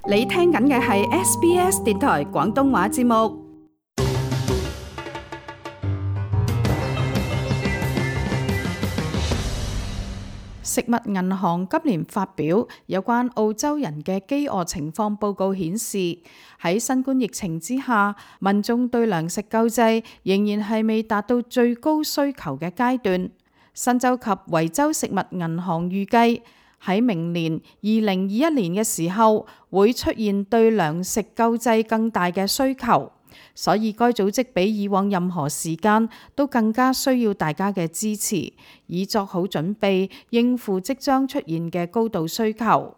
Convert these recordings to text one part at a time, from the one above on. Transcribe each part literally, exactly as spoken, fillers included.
你聽緊嘅係 S B S 電台廣東話節目。食物銀行今年發表有關澳洲人嘅飢餓情況報告，顯示喺新冠疫情之下，民眾對糧食救濟仍然係未達到最高需求嘅階段。新州及維州食物銀行預計喺明年二零二一年嘅時候會出現對糧食救濟更大嘅需求，所以該組織比以往任何時間都更加需要大家嘅支持，以作好準備應付即將出現嘅高度需求。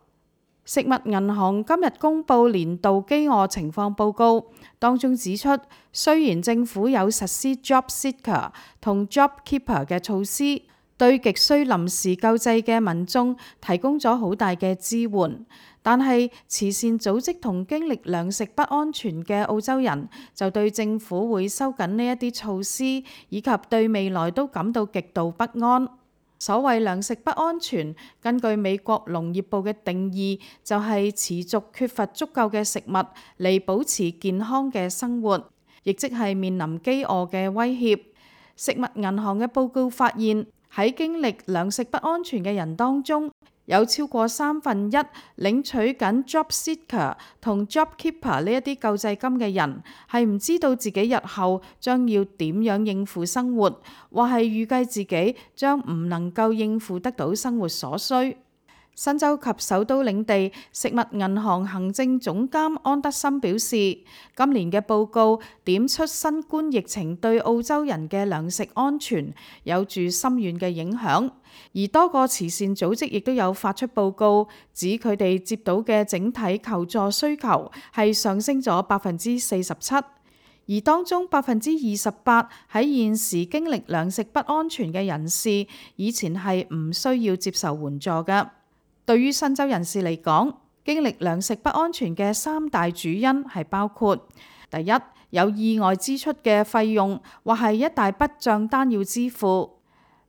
食物銀行今日公布年度飢餓情況報告，當中指出，雖然政府有實施 Job Seeker 同 Job Keeper 嘅措施，對極需臨時救濟嘅民眾提供咗好大嘅支援，但係慈善組織同經歷糧食不安全嘅澳洲人就對政府會收緊呢一啲措施，以及對未來都感到極度不安。所謂糧食不安全，根據美國農業部嘅定義，就係持續缺乏足夠嘅食物嚟保持健康嘅生活，亦即係面臨飢餓嘅威脅。食物銀行嘅報告發現，喺經歷糧食不安全嘅人當中，有超過三分一領取緊 Job Seeker 同 Job Keeper 呢一啲救濟金嘅人，係唔知道自己日後將要點樣應付生活，或係預計自己將唔能夠應付得到生活所需。新州及首都領地食物銀行行政總監安德森表示，今年嘅報告點出新冠疫情對澳洲人嘅糧食安全有住深遠嘅影響，而多個慈善組織亦都有發出報告，指佢哋接到嘅整體求助需求係上升咗百分之四十七，而當中百分之二十八喺現時經歷糧食不安全嘅人士，以前係唔需要接受援助嘅。對於新州人士嚟講，經歷糧食不安全嘅三大主因係包括：第一，有意外支出嘅費用，或係一大筆帳單要支付；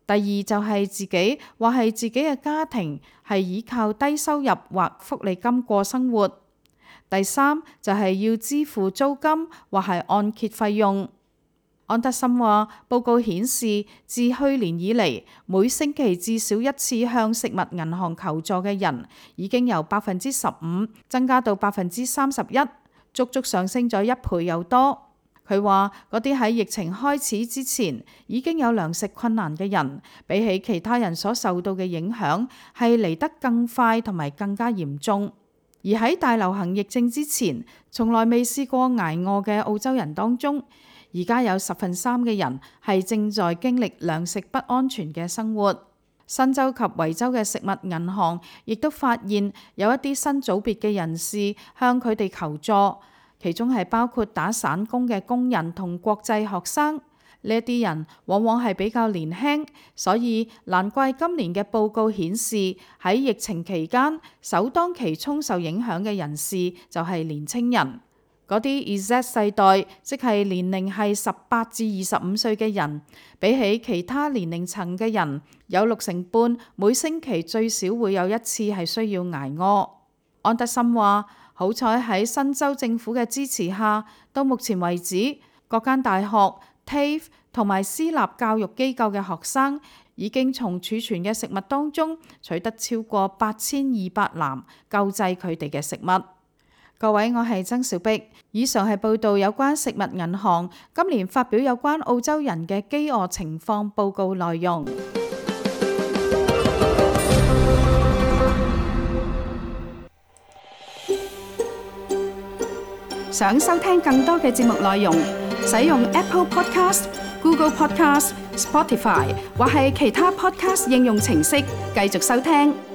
第二就係自己或係自己嘅家庭係依靠低收入或福利金過生活；第三就係要支付租金或係按揭費用。安德森話，報告顯示，自去年以嚟，每星期至少一次向食物銀行求助嘅人，已經由百分之十五增加到百分之三十一，足足上升咗一倍又多。佢話，嗰啲喺疫情開始之前已經有糧食困難嘅人，比起其他人所受到嘅影響，係嚟得更快同埋更加嚴重。而喺大流行疫症之前，從來未試過挨餓嘅澳洲人當中，而家有十分三嘅人係正在經歷糧食不安全嘅生活。新州及維州嘅食物銀行亦都發現有一啲新組別嘅人士向佢哋求助，其中係包括打散工嘅工人同國際學生。呢一啲人往往係比較年輕，所以難怪今年嘅報告顯示喺疫情期間首當其衝受影響嘅人士就係年青人。嗰啲 Z 世代，即係年齡係十八至二十五歲嘅人，比起其他年齡層嘅人，有六成半每星期最少會有一次係需要挨餓。安德森話：好彩喺新州政府嘅支持下，到目前為止，各間大學、T A F E 同埋私立教育機構嘅學生已經從儲存嘅食物當中取得超過八千二百籃救濟佢哋嘅食物。各位，我係曾小碧，以上係報道有關食物銀行今年發表有關澳洲人嘅飢餓情況報告內容。想收聽更多嘅節目內容，使用 Apple Podcast、Google Podcast、Spotify 或係其他 Podcast 應用程式繼續收聽。